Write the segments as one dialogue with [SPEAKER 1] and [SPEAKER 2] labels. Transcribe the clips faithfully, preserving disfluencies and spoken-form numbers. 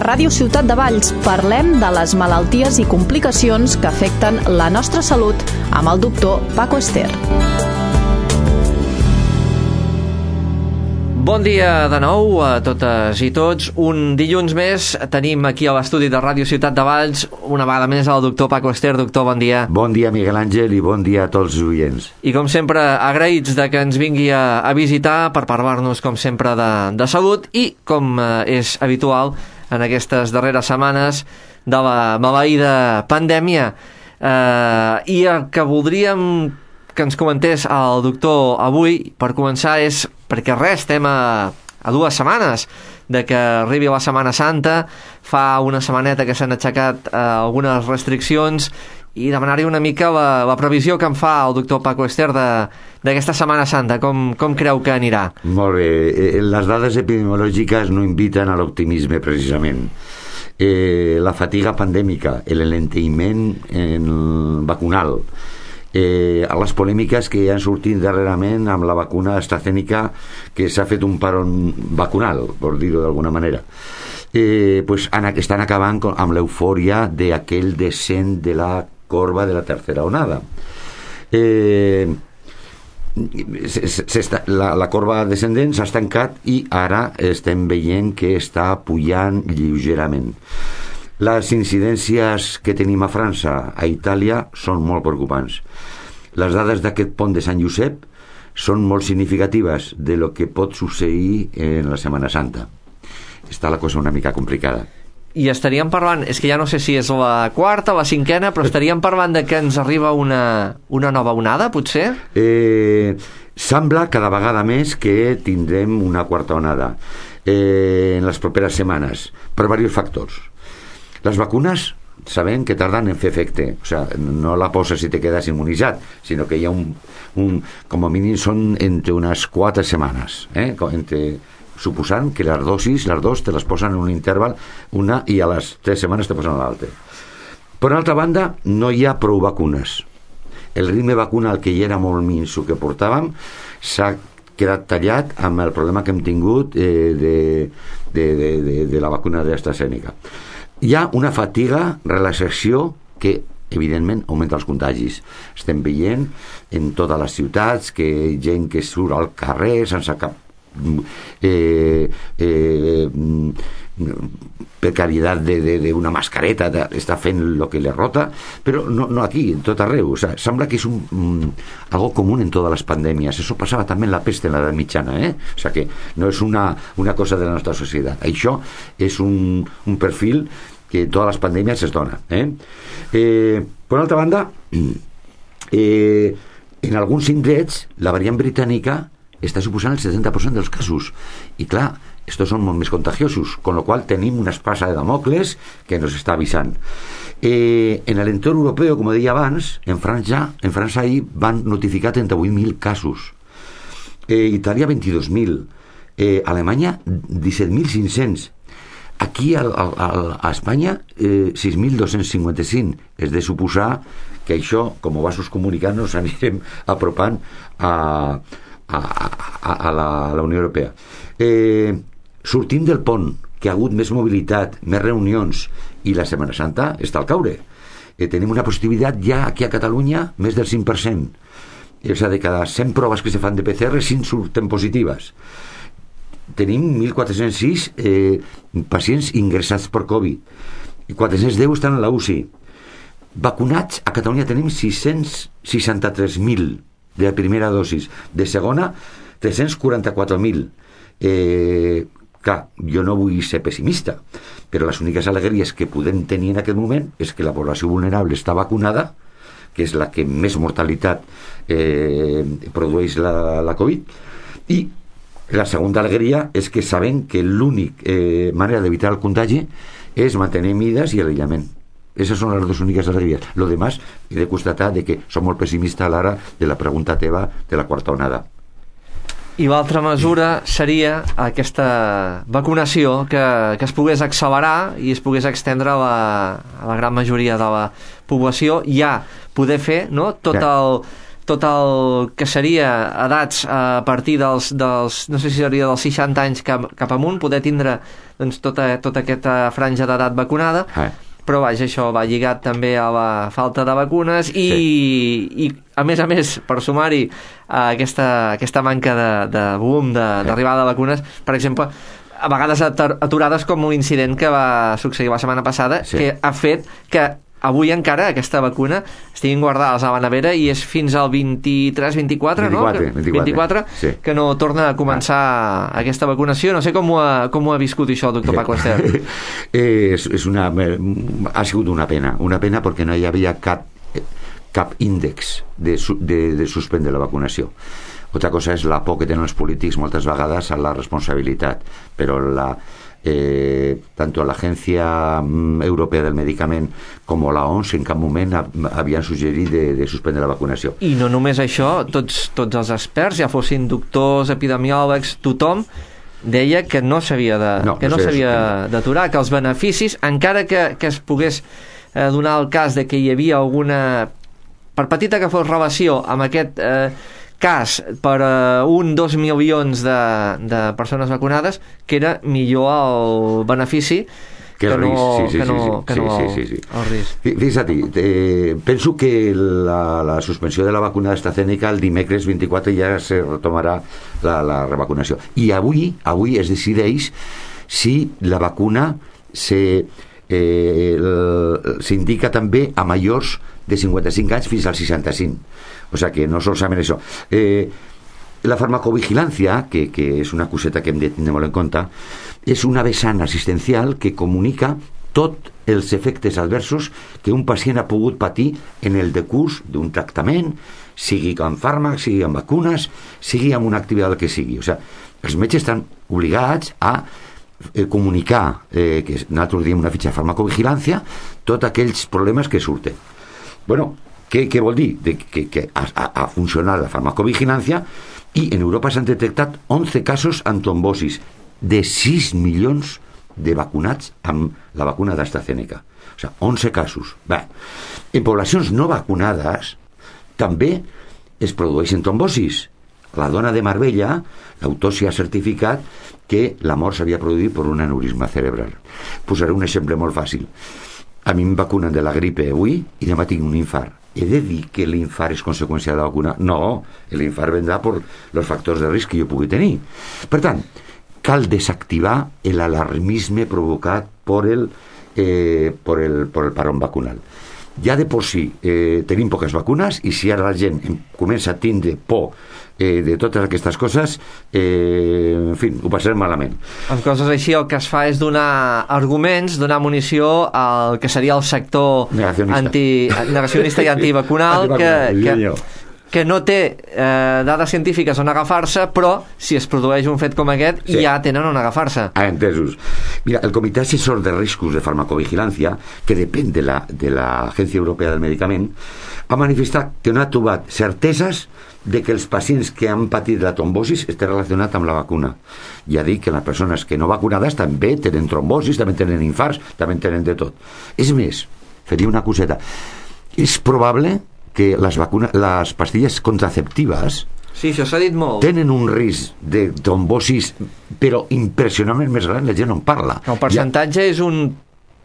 [SPEAKER 1] Ràdio Ciutat de Valls parlem de les malalties i complicacions que afecten la nostra salut amb el doctor Paco Ester.
[SPEAKER 2] Bon dia de nou a totes i tots. Un dilluns més tenim aquí a l'estudi de Ràdio Ciutat de Valls una vegada més el doctor Paco Ester. Doctor, bon dia.
[SPEAKER 3] Bon dia, Miguel Àngel, i bon dia a tots els oients.
[SPEAKER 2] I com sempre, agraïts de que ens vingui a, a visitar per parlar-nos, com sempre, de, de salut i, com eh, és habitual en aquestes darreres setmanes, de la maleïda pandèmia. Eh, I el que voldríem que ens comentés el doctor avui, per començar, és perquè res, estem a, a dues setmanes de que arribi la Setmana Santa. Fa una setmaneta que s'han aixecat eh, algunes restriccions i demanar-hi una mica la, la previsió que em fa el doctor Paco Ester d'aquesta Setmana Santa. Com, com creu que anirà?
[SPEAKER 3] Molt bé. Les dades epidemiològiques no inviten a l'optimisme, precisament. Eh, la fatiga pandèmica, l'enlentiment vacunal, Eh, a les polèmiques que han sortit darrerament amb la vacuna AstraZeneca, que s'ha fet un paron vacunal, per dir-ho d'alguna manera, eh, pues, estan acabant amb l'eufòria d'aquell descent de la corba de la tercera onada. Eh, la, la corba descendent s'ha estancat i ara estem veient que està pujant lleugerament. Les incidències que tenim a França, a Itàlia, són molt preocupants. Les dades d'aquest pont de Sant Josep són molt significatives de lo que pot succeir en la Setmana Santa. Està la cosa una mica complicada.
[SPEAKER 2] I estaríem parlant, és que ja no sé si és la quarta o la cinquena, però estaríem parlant de que ens arriba una, una nova onada, potser?
[SPEAKER 3] Eh, sembla cada vegada més que tindrem una quarta onada eh, en les properes setmanes, per diversos factors. Les vacunes sabem que tarden en fer efecte, o sigui, no la poses si te quedes immunitzat, sinó que hi ha un, un com a mínim són entre unes quatre setmanes, eh? entre, suposant que les dosis, les dos te les posen en un interval, una, i a les tres setmanes te posen l'altra. Per altra banda, no hi ha prou vacunes. El ritme vacunal, que ja era molt minso que portàvem, s'ha quedat tallat amb el problema que hem tingut eh, de, de, de, de, de la vacuna d'AstraZeneca. Hi ha una fatiga, relaxació, que evidentment augmenta els contagis. Estem veient en totes les ciutats que gent que surt al carrer sense cap eh, eh, precaritat d'una mascareta, de, està fent el que li rota, però no, no aquí, en tot arreu. O sea, sembla que és un, um, algo común en totes les pandèmies. Eso pasaba també en la peste en l'edat mitjana, eh? O sea, que no és una, una cosa de la nostra societat. Això és un, un perfil que en totes les pandèmies es dona. Eh? Eh, per altra banda, eh, en alguns indrets la variant britànica està suposant el setanta per cent dels casos. I clar, estos són molt més contagiosos, con lo qual tenim una espasa de Damocles que ens està avisant. Eh, en l'entorn europeu, com deia abans, en França, en França ahir van notificar trenta-vuit mil casos, eh, Itàlia vint-i-dos mil, eh, Alemanya disset mil cinc-cents, aquí a, a, a Espanya eh, sis mil dos-cents cinquanta-cinc. És de suposar que això, com a vasos comunicants, nos anirem apropant a, a, a, a, la, a la Unió Europea. Eh, sortim del pont, que ha hagut més mobilitat, més reunions, i la Setmana Santa està al caure. Eh, tenim una positivitat ja aquí a Catalunya més del cinc per cent. És a dir, de cada cent proves que se fan de P C R, cinc surten positives. Tenim mil quatre-cents sis eh, pacients ingressats per Covid i quatre-cents deu estan a la U C I. Vacunats a Catalunya tenim sis-cents seixanta-tres mil de la primera dosis, de segona tres-cents quaranta-quatre mil. eh, clar, jo no vull ser pessimista, però les úniques alegries que podem tenir en aquest moment és que la població vulnerable està vacunada, que és la que més mortalitat eh, produeix la, la Covid, i la segona alegria és que sabem que l'únic eh, manera d'evitar el contagi és mantenir mides i l'aïllament. Esas són les dues úniques alegries. Lo demás, he de constatar de que som molt pessimista a l'hora de la pregunta teva de la quarta onada.
[SPEAKER 2] I l'altra mesura seria aquesta vacunació que, que es pogués accelerar i es pogués extendre a la, a la gran majoria de la població, ja poder fer, no, tot el tot el que seria edats a partir dels, dels no sé si seria dels seixanta anys cap, cap amunt, poder tindre doncs, tota, tota aquesta franja d'edat vacunada, eh. però vaja, això va lligat també a la falta de vacunes i, sí. i a més a més, per sumar-hi a aquesta, aquesta manca de, de boom, d'arribada de, de vacunes, per exemple, a vegades aturades com un incident que va succeir la setmana passada, sí. que ha fet que avui encara aquesta vacuna estiguin guardades a la nevera i és fins al vint-i-tres vint-i-quatre, no?
[SPEAKER 3] vint-i-quatre,
[SPEAKER 2] vint-i-quatre
[SPEAKER 3] sí.
[SPEAKER 2] que no torna a començar ah. aquesta vacunació. No sé com ho ha, com ho ha viscut això, doctor Paco Ester.
[SPEAKER 3] és, és una, ha sigut una pena, una pena perquè no hi havia cap, cap índex de, de, de suspendre la vacunació. Otra cosa és la por que tenen els polítics moltes vegades a la responsabilitat, però la Eh, tanto la Agencia Europea del Medicament com la O M S en cap moment havien suggerit de, de suspendre la vacunació.
[SPEAKER 2] I no només això, tots, tots els experts, ja fossin doctors, epidemiòlegs, tothom deia que no s'havia de, no, que no s'havia d'aturar, que els beneficis, encara que, que es pogués eh, donar el cas de que hi havia alguna, per petita que fos relació amb aquest eh, cas per uh, un, dos milions de, de persones vacunades, que era millor el benefici
[SPEAKER 3] que,
[SPEAKER 2] que
[SPEAKER 3] el
[SPEAKER 2] no,
[SPEAKER 3] risc, sí, sí,
[SPEAKER 2] que no,
[SPEAKER 3] sí,
[SPEAKER 2] que
[SPEAKER 3] sí,
[SPEAKER 2] no
[SPEAKER 3] sí, sí, sí.
[SPEAKER 2] el risc.
[SPEAKER 3] Fixa't, eh, penso que la, la suspensió de la vacuna d'AstraZeneca el dimecres vint-i-quatre ja se retomarà la, la revacunació. I avui, avui es decideix si la vacuna se eh, s'indica també a majors de cinquanta-cinc anys fins als seixanta-cinc. O sea que no solament això. Eh, la farmacovigilància, que, que és una coseta que hem de tenir molt en compte, és una vessant assistencial que comunica tots els efectes adversos que un pacient ha pogut patir en el decurs d'un tractament, sigui amb fàrmacs, sigui amb vacunes, sigui amb una activitat que sigui. O sigui, els metges estan obligats a eh, comunicar, eh, que nosaltres diem una fitxa de farmacovigilància, tots aquells problemes que surten. Bueno, què, què vol dir? De que, que ha, ha funcionat la farmacovigilància i en Europa s'han detectat onze casos amb trombosis de sis milions de vacunats amb la vacuna d'AstraZeneca. O sigui, onze casos. Bé, en poblacions no vacunades també es produeixen trombosis. La dona de Marbella, l'autòpsia ha certificat que la mort s'havia produït per un aneurisma cerebral. Posaré un exemple molt fàcil. A mi em vacunen de la gripe avui i demà tinc un infart. He de dir que l'infart és conseqüència de la vacuna? No, l'infart vendrà per els factors de risc que jo pugui tenir. Per tant, cal desactivar l'alarmisme provocat per el, eh, per el, per el parón vacunal. Ja de por sí eh, tenim poques vacunes i si ara la gent comença a tindre por eh, de totes aquestes coses, eh, en fi, ho passarem malament.
[SPEAKER 2] Amb coses així el que es fa és donar arguments, donar munició al que seria el sector
[SPEAKER 3] negacionista,
[SPEAKER 2] anti, negacionista i antivacunal que, que, que no té eh, dades científiques on agafar-se, però si es produeix un fet com aquest sí. ja tenen on agafar-se.
[SPEAKER 3] Ah, entesos. Mira, el Comitè Assessor de Riscos de Farmacovigilància, que depèn de la, de l'Agència Europea del Medicament, ha manifestat que no ha trobat certeses de que els pacients que han patit la trombosis estan relacionats amb la vacuna. Ja dic que les persones que no vacunades també tenen trombosis, també tenen infarts, també tenen de tot. És més, faria una coseta. És probable que les vacunes, les pastilles contraceptives
[SPEAKER 2] sí, això s'ha dit molt.
[SPEAKER 3] Tenen un risc de trombosis però impressionantment més gran, la gent no en parla.
[SPEAKER 2] El percentatge ja... és un...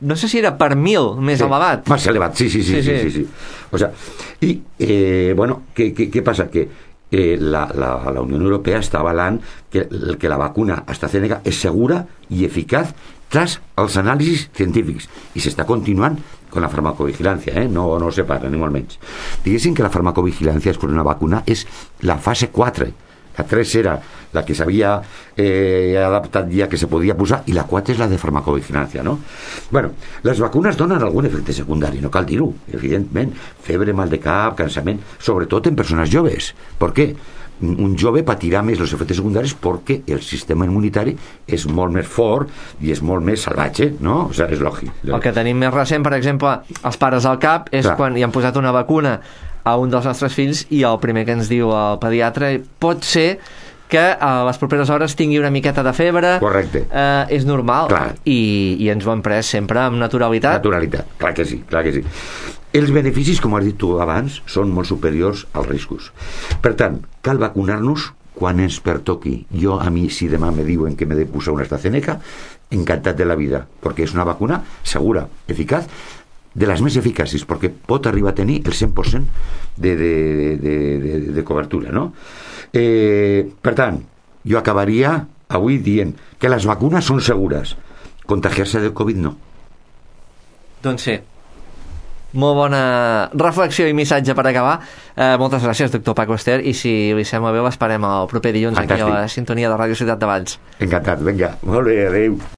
[SPEAKER 2] no sé si era per mil més
[SPEAKER 3] sí,
[SPEAKER 2] elevat.
[SPEAKER 3] Més elevat, sí, sí, sí. sí, sí. sí, sí. O sea, i, eh, bueno, què, què, què passa? Que eh, la, la, la Unió Europea està avalant que, que la vacuna AstraZeneca és segura i eficaç tras els anàlisis científics i s'està continuant con la farmacovigilància, eh? no, no se para, ni molt menys. Diguéssim que la farmacovigilància és per una vacuna és la fase quatre. La tres era la que s'havia eh, adaptat ja que se podia posar i la quatre és la de farmacovigilància, no? Bueno, les vacunes donen algun efecte secundari, no cal dir-ho, evidentment, febre, mal de cap, cansament, sobretot en persones joves. Per què? Un jove patirà més els efectes secundaris perquè el sistema immunitari és molt més fort i és molt més salvatge, no? O sigui, és lògic.
[SPEAKER 2] El que tenim més recent, per exemple, els pares al cap, és Clar. quan hi han posat una vacuna a un dels nostres fills i el primer que ens diu el pediatre pot ser que a les properes hores tingui una miqueta de febre.
[SPEAKER 3] Correcte.
[SPEAKER 2] Eh, és normal.
[SPEAKER 3] Clar.
[SPEAKER 2] I, i ens ho hem pres sempre amb naturalitat.
[SPEAKER 3] Naturalitat, clar que sí, clar que sí. Els beneficis, com has dit tu abans, són molt superiors als riscos. Per tant, cal vacunar-nos quan ens pertoqui. Jo, a mi, si demà me diuen que m'he de posar una AstraZeneca, encantat de la vida, perquè és una vacuna segura, eficaç, de les més eficaces, perquè pot arribar a tenir el cent per cent de, de, de, de, de cobertura, no? Eh, per tant, jo acabaria avui dient que les vacunes són segures. Contagiar-se del Covid no.
[SPEAKER 2] Doncs sí. Molt bona reflexió i missatge per acabar. Eh, moltes gràcies, doctor Paco Ester, i si li sembla bé l'esperem el proper dilluns. Fantàstic. Aquí a la sintonia de Ràdio Ciutat de Valls.
[SPEAKER 3] Encantat, vinga, molt bé, adeu.